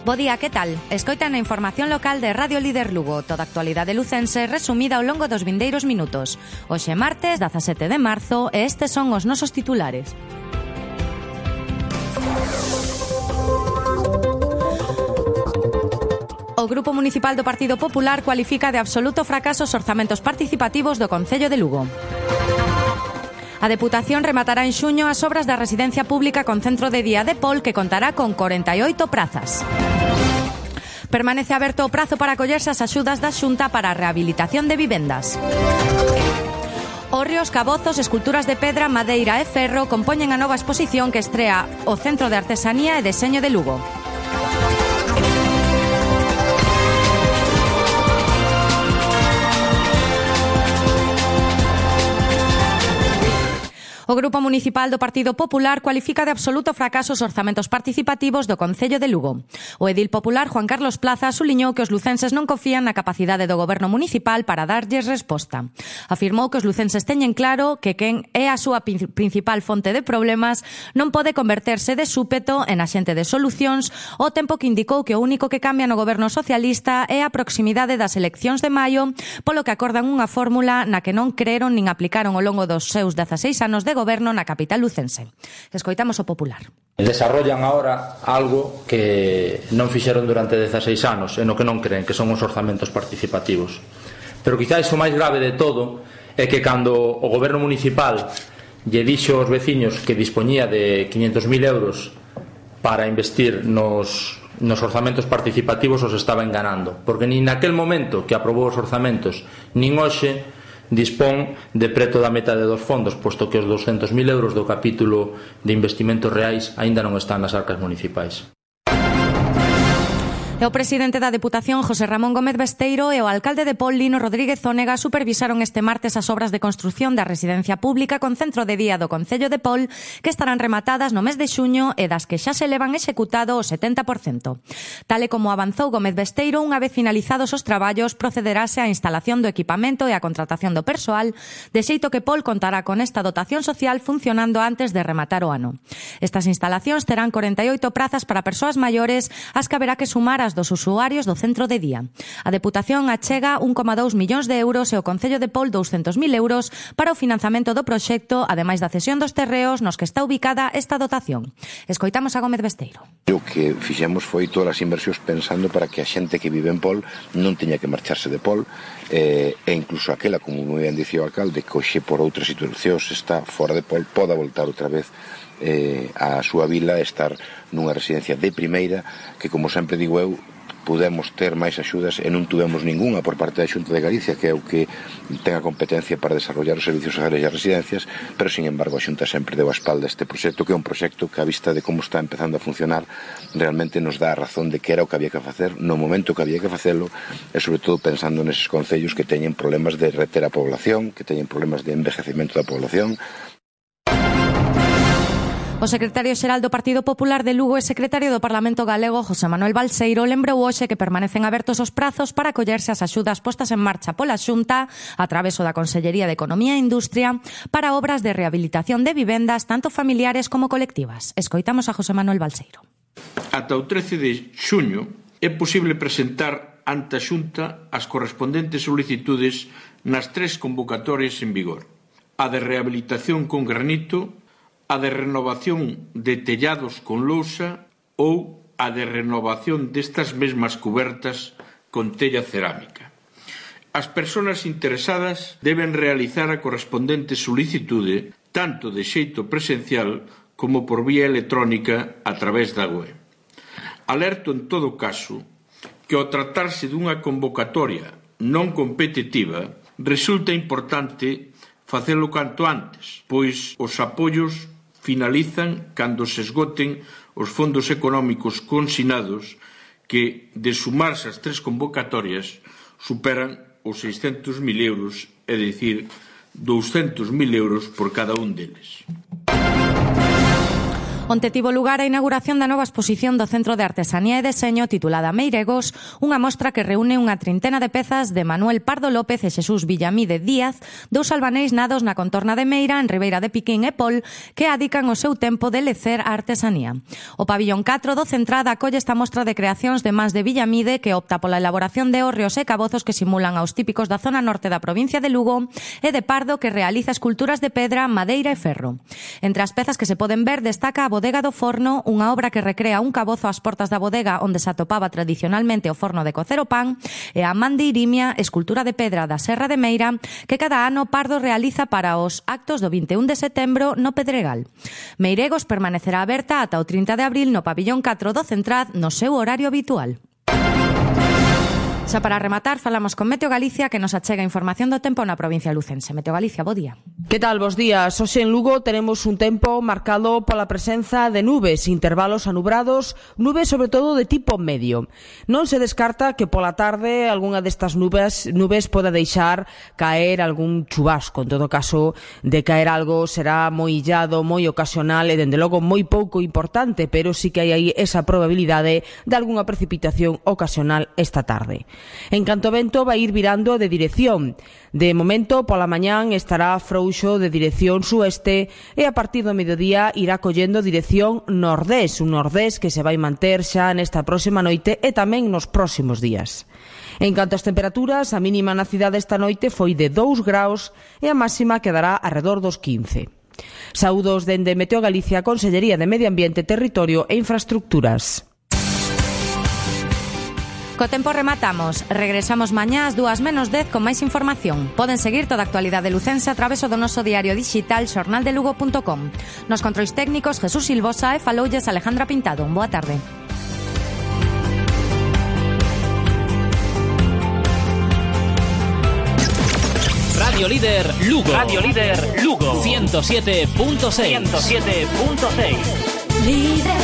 Bo día, que tal? Escoitan a información local de Radio Líder Lugo, toda a actualidade lucense resumida ao longo dos vindeiros minutos. Hoxe martes, 17 de marzo, e estes son os nosos titulares. O Grupo Municipal do Partido Popular cualifica de absoluto fracaso os orzamentos participativos do Concello de Lugo. A Deputación rematará en xuño as obras da residencia pública con centro de día de Pol, que contará con 48 prazas. Permanece aberto o prazo para acollerse as axudas da Xunta para a rehabilitación de vivendas. Hórreos, cabozos, esculturas de pedra, madeira e ferro compoñen a nova exposición que estrea o Centro de Artesanía e Deseño de Lugo. O Grupo Municipal do Partido Popular cualifica de absoluto fracaso os orzamentos participativos do Concello de Lugo. O edil popular Juan Carlos Plaza suliñou que os lucenses non confían na capacidade do goberno municipal para darlles resposta. Afirmou que os lucenses teñen claro que quen é a súa principal fonte de problemas non pode converterse de súpeto en axente de solucións, ao tempo que indicou que o único que cambia no goberno socialista é a proximidade das eleccións de maio, polo que acordan unha fórmula na que non creron nin aplicaron ao longo dos seus 16 anos de goberno na capital lucense. Escoitamos o popular. Desarrollan agora algo que non fixeron durante 16 anos e no que non creen, que son os orzamentos participativos. Pero quizás o máis grave de todo é que cando o goberno municipal lle dixo aos veciños que dispoñía de 500.000 euros para investir nos orzamentos participativos, os estaba enganando, porque nin naquel momento que aprobou os orzamentos nin hoxe dispón de preto da metade dos fondos, posto que os 200.000 euros do capítulo de investimentos reais aínda non están nas arcas municipais. O presidente da Deputación, José Ramón Gómez Besteiro, e o alcalde de Pol, Lino Rodríguez Zónega, supervisaron este martes as obras de construción da residencia pública con centro de día do Concello de Pol, que estarán rematadas no mes de xuño e das que xa se levan executado o 70%. Tal e como avanzou Gómez Besteiro, unha vez finalizados os traballos, procederase á instalación do equipamento e á contratación do persoal, de xeito que Pol contará con esta dotación social funcionando antes de rematar o ano. Estas instalacións terán 48 prazas para persoas maiores, as que haberá que sumar as dos usuarios do centro de día. A Deputación achega 1,2 millóns de euros e o Concello de Pol 200.000 euros para o financiamento do proxecto, ademais da cesión dos terreos nos que está ubicada esta dotación. Escoitamos a Gómez Besteiro. O que fixemos foi todas as inversións pensando para que a xente que vive en Pol non teña que marcharse de Pol, e incluso aquela, como moi ben dicía o alcalde, que hoxe por outras situacións está fora de Pol, poda voltar outra vez a súa vila e estar nunha residencia de primeira, que, como sempre digo eu, pudemos ter máis axudas e non tuvemos ninguna por parte da Xunta de Galicia, que é o que ten a competencia para desarrollar os servicios sociais e as residencias, pero, sin embargo, a Xunta sempre deu a espalda a este proxecto, que é un proxecto que, a vista de como está empezando a funcionar, realmente nos dá a razón de que era o que había que facer no momento que había que facelo, e, sobre todo, pensando neses concellos que teñen problemas de reter a población, que teñen problemas de envejecemento da población. O secretario xeral do Partido Popular de Lugo e secretario do Parlamento Galego, José Manuel Balseiro, lembrou hoxe que permanecen abertos os prazos para acollerse ás axudas postas en marcha pola Xunta a traveso da Consellería de Economía e Industria para obras de rehabilitación de vivendas tanto familiares como colectivas. Escoitamos a José Manuel Balseiro. Ata o 13 de xuño é posible presentar ante a Xunta as correspondentes solicitudes nas 3 convocatorias en vigor: a de rehabilitación con granito, a de renovación de tellados con lousa ou a de renovación destas mesmas cubertas con tella cerámica. As persoas interesadas deben realizar a correspondente solicitude tanto de xeito presencial como por vía electrónica a través da web. Alerto en todo caso que ao tratarse dunha convocatoria non competitiva resulta importante facelo canto antes, pois os apoios finalizan cando se esgoten os fondos económicos consignados que, de sumarse as 3 convocatorias, superan os 600.000 euros, é dicir, 200.000 euros por cada un deles. Onte tivo lugar a inauguración da nova exposición do Centro de Artesanía e Deseño titulada Meiregos, unha mostra que reúne unha trintena de pezas de Manuel Pardo López e Xesús Villamide Díaz, dous albaneis nados na contorna de Meira, en Ribeira de Piquín e Pol, que adican o seu tempo de lecer a artesanía. O pabillón 4 do Centrada acolle esta mostra de creacións de mans de Villamide, que opta pola elaboración de hórreos e cabozos que simulan aos típicos da zona norte da provincia de Lugo, e de Pardo, que realiza esculturas de pedra, madeira e ferro. Entre as pezas que se poden ver destaca a Bodega do Forno, unha obra que recrea un cabozo ás portas da bodega onde se atopaba tradicionalmente o forno de cocer o pan, e a Man de Irimia, escultura de pedra da Serra de Meira, que cada ano Pardo realiza para os actos do 21 de setembro no Pedregal. Meiregos permanecerá aberta ata o 30 de abril no pabillón 4 do Centrad no seu horario habitual. Xa para rematar, falamos con Meteo Galicia, que nos achega información do tempo na provincia lucense. Meteo Galicia, bo día. Que tal, bos días? Hoxe en Lugo tenemos un tempo marcado pola presenza de nubes, intervalos anubrados, nubes sobre todo de tipo medio. Non se descarta que pola tarde algunha destas nubes poda deixar caer algún chubasco. En todo caso, de caer algo será moi illado, moi ocasional e, dende logo, moi pouco importante, pero sí que hai aí esa probabilidade de algunha precipitación ocasional esta tarde. En canto ao vento, vai ir virando de dirección. De momento, pola mañán estará frouxo de dirección sueste e a partir do mediodía irá collendo dirección nordés, un nordés que se vai manter xa nesta próxima noite e tamén nos próximos días. En canto ás temperaturas, a mínima na cidade esta noite foi de 2 graus e a máxima quedará arredor dos 15. Saúdos dende Meteo Galicia, Consellería de Medio Ambiente, Territorio e Infraestructuras. Co tempo rematamos. Regresamos mañá ás 2:10 con máis información. Poden seguir toda a actualidade lucense a través do noso diario digital xornaldelugo.com. Nos controis técnicos Jesús Silvosa e faloulles Alejandra Pintado. Boa tarde. Radio Líder Lugo. Radio Líder Lugo. 107.6. 107.6. Líder.